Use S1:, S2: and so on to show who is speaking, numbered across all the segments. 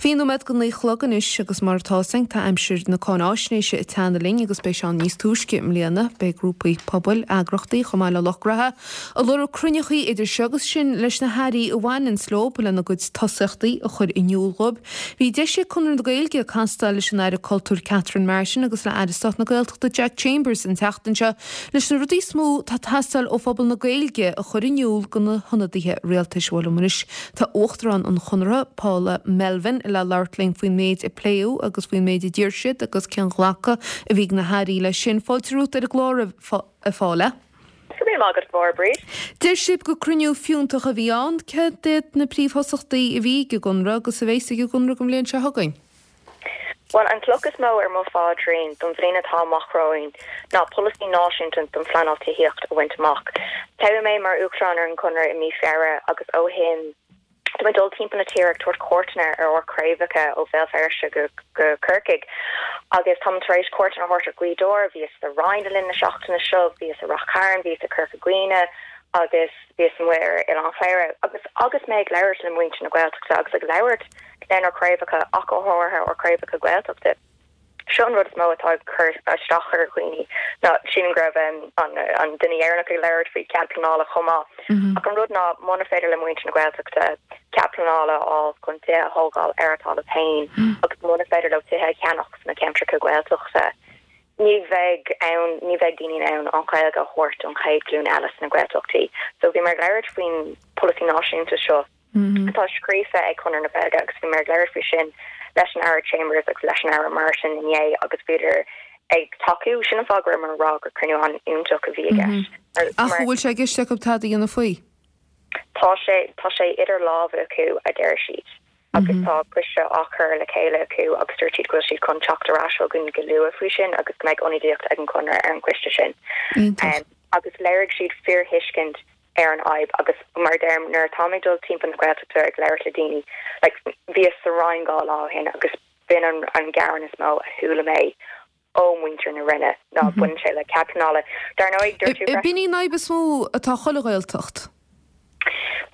S1: 20 nóiméad go 9 a chlog anois agus mar atá fhios againn tá aimsir na cáináisnéise ag teannadh linn agus beidh sé ann níos túisce i mbliana. Beidh grúpaí pobail, eagrachtaí chomh maith le lucht graithe ag lorg cruinneachaí idir seo agus sin leis na hairí a bhaineanns leo lena gcuid tosaíochtaí a chur in iúl dhóibh. Bhí deis ag Conradh na Gaeilge castáil leis an Aire Cultúir Catherine Martin agus le Aire Stáit na Gaeltachta Jack Chambers an tseachtain seo leis na rudaí is mó atá ag teastáil ó phobal na Gaeilge a chur in iúl do na hionadaithe rialtais. Bhuel liom anois tá Uachtarán an Chonartha, Paula Melvin, le labhairt linn faoin méid a pléadh agus faoin méid a d'iarr siad agus cén ghlacadh a bhí ag na hairí leis sin. Fáilte romhat ar an gclár, a Phaula.
S2: Go raibh míle maith agat, a Mháire Bríd.
S1: Deir sibh gur cruinniú fiúntach a bhí ann. Céard iad na príomhthosaíochtaí a bhí ag an gConradh agus a bheas ag an gConradh don bhliain seo chugainn?
S2: Bhuel, an chloch is mó ar mo phaidrín don bhliain atá amach romhainn ná polasaí náisiúnta don phleanáil tithíochta a bhaint amach. Toghadh mé mar Uachtarán ar an gConradh i mí Feabhra agus ó shin tá mé ag dul timpeall na tíre ag tabhairt cuairteanna ar ár craobhacha ó Bhéal Feirste go Corcaigh agus táim tar éis cuairteanna a thabhairt ar Ghaoth Dobhair, bhíos sa Rinn le linn na seachtaine seo, bhíos i Rath Cairn, bhíos i Corca Dhuibhne agus bhíos amuigh ar Oileán Chléire agus agus mé ag labhairt le muintir na Gaeltachta agus ag labhairt lenár craobhacha ach go háirithe ár craobhacha Gaeltachta. Seo an rud is mó atá ag cur isteach ar dhaoine ná sílim go raibh an duine dheireanach ag labhairt faoi cead pleanála chomh maith. Ach an rud ná muna féidir le muintir na Gaeltachta cead pleanála a fháil chun tithe a thógáil ar a dtalamh féin agus muna féidir leo tithe a cheannach sna ceantracha Gaeltachta, ní bheidh ann, ní bheidh daoine in ann an Ghaeilge a thabhairt don chéad ghlúin eile sna Gaeltachtaí. So bhíomar ag labhairt faoin polasaí náisiúnta seo. atá scríofa ag Conradh na Gaeilge agus bhíomar ag labhairt faoi sin leis an Aire Chambers agus leis an Aire Martin inné agus bhíodar ag tacú. Sin an fáth go rabhamar ag rá gur cruinniú an-fhiúntach a bhí i
S1: gceist. Ach an bhfuil sé i gceist acu tada a dhéanamh faoi?
S2: Tá sé, tá sé idir lámha acu, a deir siad, agus tá coiste á chur le chéile acu agus dúirt siad go bhfuil siad chun teacht ar ais chugainn go luath faoi sin agus go mbeidh ionadaíocht ag an Chonradh ar an gcoiste sin. Agus léirigh siad fíorthuiscint ar an fhadhb agus mar a deirim nuair atáim ag dul timpeall na Gaeltachta ag labhairt le daoine like bhíos sa Rinn 2 lá ó shin agus b'in an an gearán is mó a chuala mé ó mhuintir na Rinne ná baineann sé le cead pleanála. Dar ndóigh
S1: dúirt tú freisin. B'in í an fhadhb is mó atá chuile Ghaeltacht.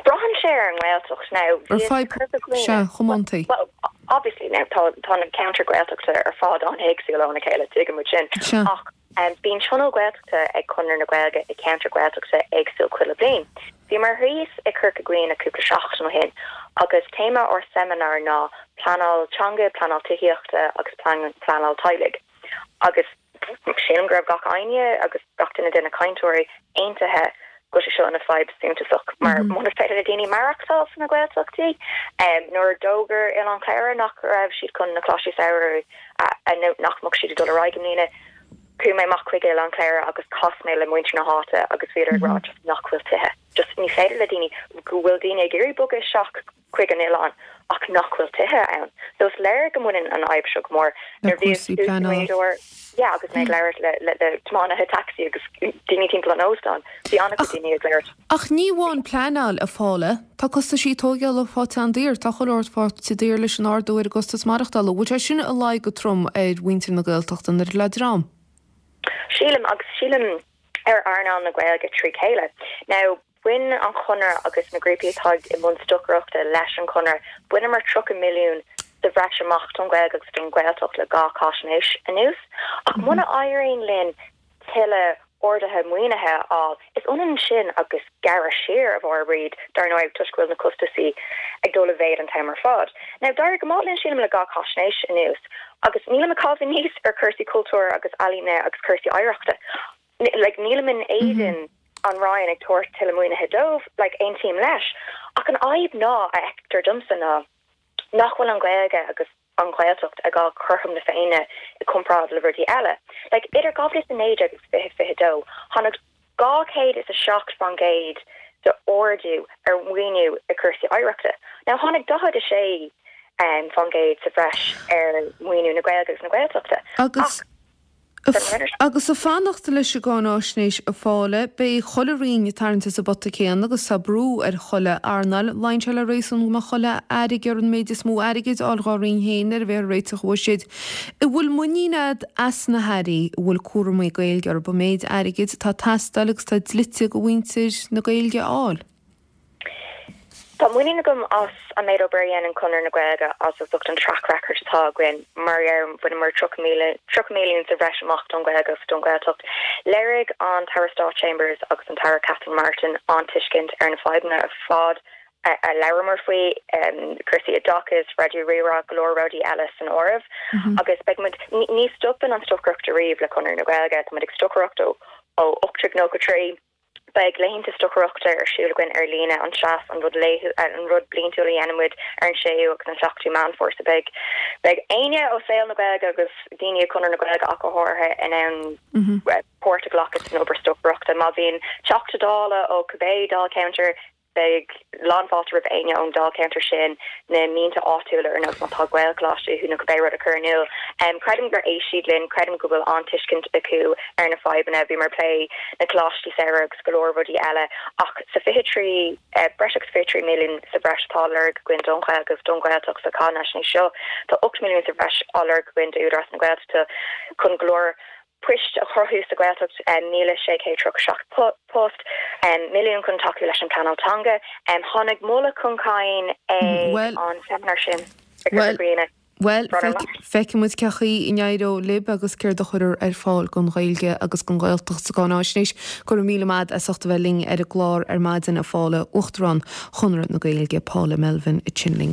S2: Braitheann sé ar an nGaeltacht now
S1: bhíos i Corca Dhuibhne. Sea, chomóntaí.
S2: Well obviously now tá tá na ceantair Gaeltachta ar fad an-éagsúil óna chéile tuigeann muid sin.
S1: Sea.
S2: Ach Bíonn tionól Gaeltachta ag Conradh na Gaeilge i gceantar Gaeltachta éagsúil chuile bliain. Bhíomar thíos i Corca Dhuibhne cúpla seachtain ó shin agus téama ár seimineár ná pleanáil teanga, pleanáil tithíochta agus pleanáil teaghlaigh. Agus sílim go raibh gach éinne agus gach duine de na cainteoirí aontaithe go bhfuil sé seo ina fadhb suntasach mar muna féidir le daoine maireachtáil sna Gaeltachtaí, nuair a d'fhógair Oileán Chléire nach raibh siad chun na Coláistí Samhraidh a nó nach mbeadh siad ag dul ar aghaidh i mbliana, chuaigh mé amach chuig Oileán Chléire agus chas mé le muintir na háite agus bhíodar ag rá just nach bhfuil tithe, just ní féidir le daoine, go bhfuil daoine ag iarraidh bogadh isteach chuig an oileán ach nach bhfuil tithe ann. So is léir go mbaineann an fhadhb seo go mór.
S1: Le cúrsaí pleanála.
S2: Yeah, agus mé ag labhairt le le le tiománaithe tacsaí agus daoine timpeall an óstáin, bhí an-chuid daoine ag labhairt.
S1: Ach ní amháin pleanáil, a Phaula, tá costaisí tóigeála faighte an-daor, tá chuile shórt faighte daor leis an ardú ar an gcostas maireachtála. Bhfuil sé sin ag luí go trom ar mhuintir na Gaeltachta nuair le dream?
S2: Sílim, agus sílim ar earnáil na Gaeilge trí chéile. Now, Bhain an Chonradh agus na grúpaí atá i mbun stocaireachta leis an Chonradh, bhaineamar 30 milliún sa bhreis amach don Ghaeilge agus don Ghaeltacht le 2 cháisnéis anuas. Ach muna éiríonn linn tuilleadh arduithe maoinithe a fháil, is ionann sin agus gearradh siar, a Mháire Bríd, dar ndóigh, toisc go bhfuil na costasaí ag dul i mhéad an t-am ar fad. Now, d'éirigh go maith linn, sílim, le 2 cháisnéis anuas agus nílim ag caitheamh aníos ar chúrsaí cultúir agus ealaíne agus cúrsaí oidhreachta. Like, nílim in éadan an Roinn ag tabhairt tuilleadh maoinithe dóibh, like, aontaím leis. Ach an fhadhb ná, a fheictear domsa, ná nach bhfuil an Ghaeilge agus an Ghaeltacht ag fháil cothrom na Féinne i gcomparáid le rudaí eile. Like, idir 2019 agus 2022, tháinig 207% de ardú ar mhaoiniú i cúrsaí oidhreachta. Now, tháinig 46% sa bhreis ar mhaoiniú na Gaeilge agus na Gaeltachta.
S1: Agus. Agus ag fanacht leis an gcáináisnéis a Phaula, beidh chuile roinn ag tarraingt as an bpota céanna agus tá brú ar chuile earnáil. Luíonn sé le réasún go mbeadh chuile aire ag iarraidh an méid is mó airgid a fháil dhá roinn féin nuair a bheifear ag réiteach an bhuiséid. An bhfuil muinín a'd as na hairí a bhfuil cúramaí Gaeilge orthu an méid airgid atá ag teastáil agus atá dlite do mhuintir na Gaeilge a fháil?
S2: Tá muinín agam as an méid obair a dhéanann Conradh na Gaeilge as ucht an track record atá againn. Mar a deirim, bhaineamar 30 milliún sa bhreis amach don Ghaeilge agus don Ghaeltacht. Léirigh an tAire Stáit Chambers agus an tAire Catherine Martin an-tuiscint ar na fadhbanna ar fad a labhramar faoi, cúrsaí oideachais, Raidió Rí-Rá, go leor rudaí eile san áireamh. Agus beidh muid, ní stopann an stocaireacht ariamh le Conradh na Gaeilge, tá muid ag stocaireacht ó 1893. Beidh laethanta stocaireachta ar siúl againn ar líne, an Seas, an rud laethúil, an rud bliantúil a dhéanann muid ar an 6ú agus an 7ú Meán Fómhair. So beidh, beidh éinne ó saol na Gaeilge agus daoine i Conradh na Gaeilge ach go háirithe in ann páirt a ghlacadh san obair stocaireachta. Má bhíonn Teachta Dála ó cibé dáilcheantar, Beidh lánfháilte roimh éinne ón dáilcheantar sin na mianta áitiúla ar nós má tá Gaelcholáiste uathu nó cibé rud a chur in iúl. Creidim gur éist siad linn, creidim go bhfuil an-tuiscint acu ar na fadhbanna. Bhíomar ag plé na coláistí samhraidh agus go leor rudaí eile ach sa 23, breis agus 23 milliún sa bhreis atá á lorg againn don Ghaeilge agus don Ghaeltacht sa cháinaisnéis seo, tá 8 milliún sa bhreis á lorg againn d'Údarás na Gaeltachta chun go leor poist a chruthú sa Ghaeltacht, 1,637 post, milliún chun tacú leis an bpleanáil teanga. Tháinig moladh chun cinn ag an seimineár sin i gCorca Dhuibhne.
S1: Bhuel, feicfidh muid cén chaoi a n-éireoidh libh agus céard a chuirfear ar fáil don Ghaeilge agus don Ghaeltacht sa gcáináisnéis. Go raibh míle maith as ucht a bheith linn ar an gclár ar maidin, a Phaula, Uachtarán Chonradh na Gaeilge, Paula Melvin, ansin linn.